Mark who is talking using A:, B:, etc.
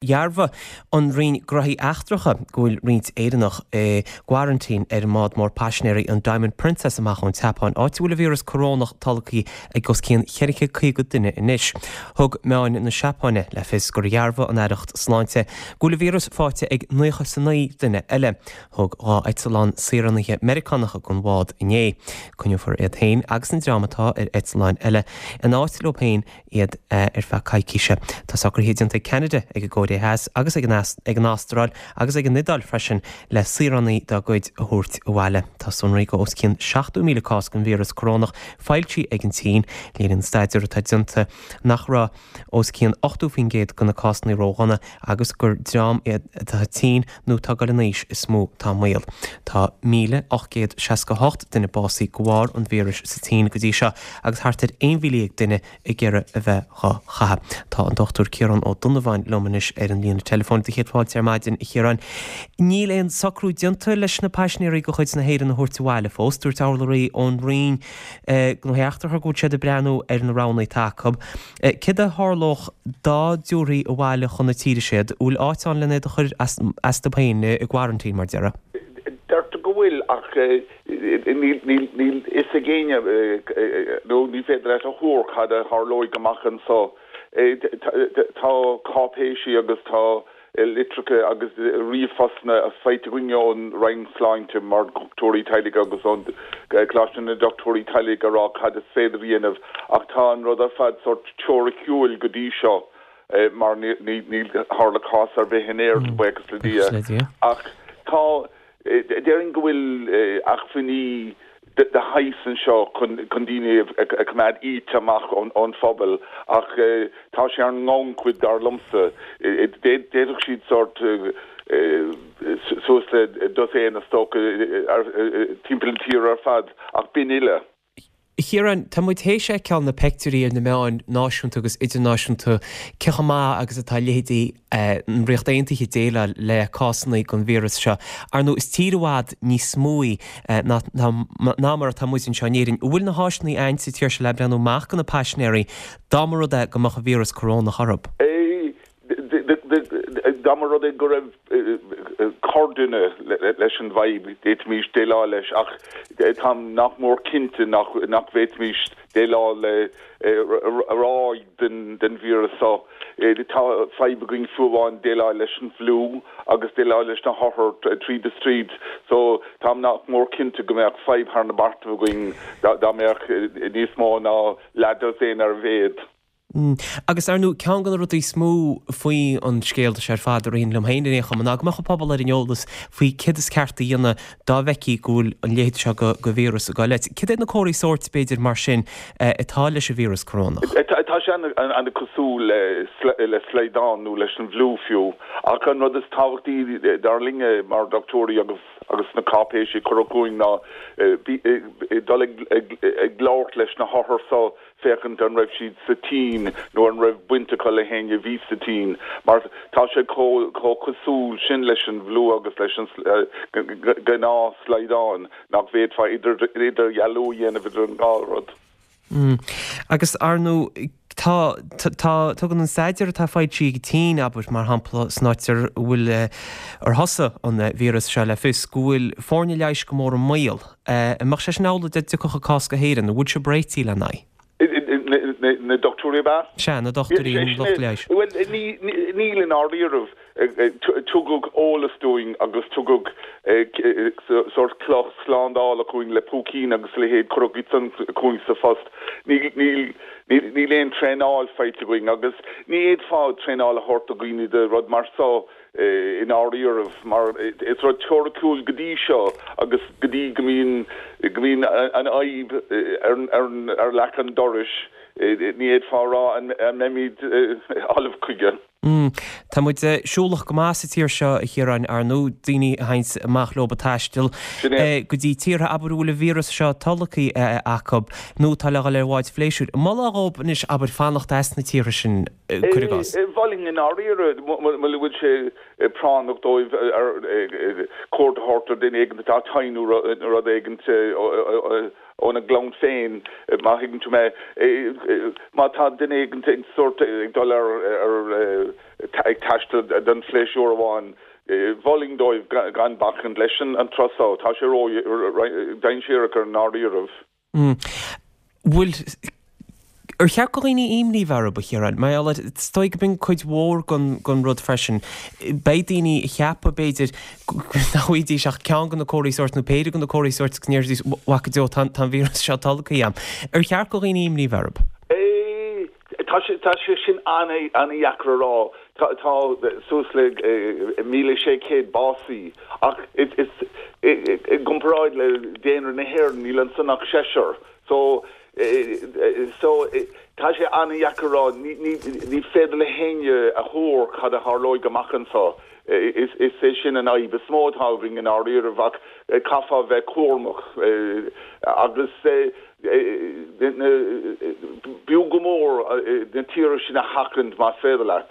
A: Dhearbhaigh an Roinn Gnóthaí Eachtracha go bhfuil roinnt Éireannach i gcoraintín ar an mbád mór paisinéirí an Diamond Princess amach ón tSeapáin, áit a bhfuil an víreas corónach tolgtha ag os cionn 450 duine anois. Thug meáin na Seapáine le fios gur dhearbhaigh an Aireacht Sláinte go bhfuil an víreas faighte ag 99 duine eile. Thug 2 eitleán saoránaithe Meiriceánacha den bhád inné. Coinneofar iad féin agus an dream atá ar eitleáin eile in áit leo féin iad ar feadh coicíse. Tá socruithe déanta ag Ceanada, ag an gCóiré Theas agus ag an Astráil agus ag an Iodáil freisin le saoránaigh dá gcuid a thabhairt abhaile. Tá sonraí go os cionn 70,000 cás den víreas corónach foilsithe ag an tSín. Léiríonn staidéar atá déanta nach raibh os cionn 80% de na cásanna ródhona agus gur dream iad atá tinn nó atá ag dul in aois is mó atá i mbaol. Tá 1,868 duine básaithe de bharr an víris sa tSín go dtí seo agus thart ar 11,000 duine ag iarraidh a bheith dhá chaitheamh. Tá an Dr Ciarán Ó Donnabháin liom anois ar an líne teileafóin. Do chéad fáilte ar maidin, a Chiaráin. Níl aon socrú déanta leis na paisinéirí de chuid na hÉireann a thabhairt abhaile fós. Dúirt urlabhraí ón Roinn Gnóthaí Eachtracha go bhfuil siad ag breathnú ar na roghanna atá acu. Céard a tharlódh dá dtabharfaí abhaile chun na tíre siad? An bhfuil áit ann len iad a chur astu féin i gquarantine, mar déarfá?
B: Deirtear go bhfuil, ach níl fhios ag éinne nó ní féidir leat a thuar cad a tharlóidh amach anso. Tá cáipéisí agus tá litreacha agus ríomhphostanna faighte againn ón Roinn Sláinte mar dhochtúirí teaghlaigh agus ón Coláiste na nDochtúirí Teaghlaigh ag rá cad is féidir a dhéanamh ach tá an rud ar fad sórt teoiriciúil go dtí seo mar níl tharla cás ar bith in Éirinn, buíochas le Dia. Ach tá Déarfainn go bhfuil acmhainní de shaghas anseo chun daoine a choimeád iata amach ón phobal ach tá sé ar an ngannchuid dar liomsa. D'fhéadfadh siad sórt suas le dosaen is dócha timpeall na tíre ar fad ach b'in uile.
A: A Chiaráin, tá muid théis fheiceáil na peictiúirí ar na meáin náisiúnta agus idirnáisiúnta cé chomh maith agus atá leithéidí an Ríocht Aontaithe ag déileáil le cásanna den víreas seo. Ar ndóigh, is tír i bhfad níos mó í ná ná mar atá muid anseo in Éirinn. An bhfuil na háiseanna ann sa tír seo le breathnú amach do na paisinéirí dá mba rud é go mbeadh an víreas corónach orthu?
B: Dá mba rud é go raibh corrdhuine leis an bhfadhb, d'fhéadfaimis déileáil leis, ach táim nach mór cinnte nach bhféadfaimis déileáil le ráig den víreas seo. Tá fadhb againn fiú amháin déileáil leis an bhfliú agus déileáil leis na hothair tríd is tríd. So táim nach mór cinnte go mbeadh fadhb thar na beartaibh againn dá mbeadh níos mó ná leathdosaen ar a mhéad.
A: Agus ar ndóigh, ceann de na rudaí is mó faoi an scéal seo ar fad a ritheann liom féin ar aon chuma, ná go mbeadh an pobal ar an eolas faoi céard is ceart a dhéanamh dá bhfeicfí go bhfuil an leithéid seo de víreas ag goil leat. Céard iad na comharthaí sóirt, b'fhéidir, mar sin, atá leis an víreas corónach?
B: Tá sé an-cosúil le slaghdán nó leis an bhfliú fiú. Ach an rud is tábhachtaí dar linne mar dhochtúirí agus agus na cáipéisí a cuireadh chugainn ná dul ag labhairt leis na hothair so féachaint an raibh siad sa tSín nó an raibh baint acu le héinne a bhí sa tSín, mar tá sé chomh cosúil sin leis an bhfliú agus leis an gnáth-shlaghdán nach bhféadfá idirdhealú a dhéanamh idir an dhá rud.
A: Agus, ar ndóigh, tá, tá, tugann an staidéar atá foilsithe ag an tSín, abair, mar shampla, san áit ar bhfuil, ar thosaigh an víreas seo le fios go bhfuil foirne leighis go mór i mbaol. An mbeadh sé sin amhlaidh dá dtiocfadh an cás go hÉirinn? An bhfuil sibh réitithe lena aghaidh?
B: Na dochtúirí ab ea?
A: Sea, na dochtúirí, an lucht leighis.
B: Bhuel, níl i ndáiríribh. Tugadh eolas dúinn agus tugadh sórt cloch slándála chugainn le púicín agus a leithéid, cuireadh iad san chugainn sa phost. Níl aon traenáil faighte againn agus ní fhéadfá traenáil a thabhairt do dhaoine do rud mar so. i ndáiríribh, mar is rud teoiriciúil go dtí seo agus go dtí go mbíonn, go mbíonn an fhadhb ar, ar leac an dorais, ní fhéadfá a rá an mbeimid ullamh chuige.
A: Tá muid siúlach go maith sa tír seo, a Chiaráin, ar ndóigh, daoine a théanns amach leo ag taisteal go dtí tíortha, abair, a bhfuil an víreas seo tolgtha acu nó atá le dhul ar bháid phléisiúir. An molfá dhóibh anois, abair, fanacht as na tíortha sin? cuir i gcás.
B: Mholfainn i ndáiríre, mura bhfuil sé práinneach dóibh cuairt a thabhairt ar duine éigin atá tinn nó rud éigin. Óna gclann féin, má thuigeann tú mé. Má tá duine éigin ag sórt ag dul ar ag taisteal don phléisiúr amháin, mholfainn dóibh gan bacaint leis an turas so. Tá sé ró-dainséarach i ndáiríribh.
A: Bhfuil. Ar cheart do dhaoine imní bheith orthu, a Chiaráin? Mar gheall air, is dóigh go b'in cuid mhór den rud freisin. Beidh daoine a cheapfadh, b'fhéidir, nach bhfaighidís ach ceann de na comharthaí sóirt nó péire de na comharthaí sóirt agus go ndéarfaidís, 'Mhac Dé, tá an víreas seo tolgtha agam. Ar cheart do dhaoine imní bheith
B: orthu? Tá sé, tá sé sin an-dheacair a rá. Tá, tá suas le 1,600 básaí ach is, is, i gcomparáid le daonra na hÉireann níl ansan ach seisear. So, so, tá sé an-dheacair a rá, ní, ní, ní féidir le héinne a thuar cad a tharlóidh amach anso. Is, is é sin an fhadhb is mó atá againn i ndáiríribh ach caithfeá bheith cúramach agus na, b'fhiú go mór na tíortha sin a sheachaint más féidir leat.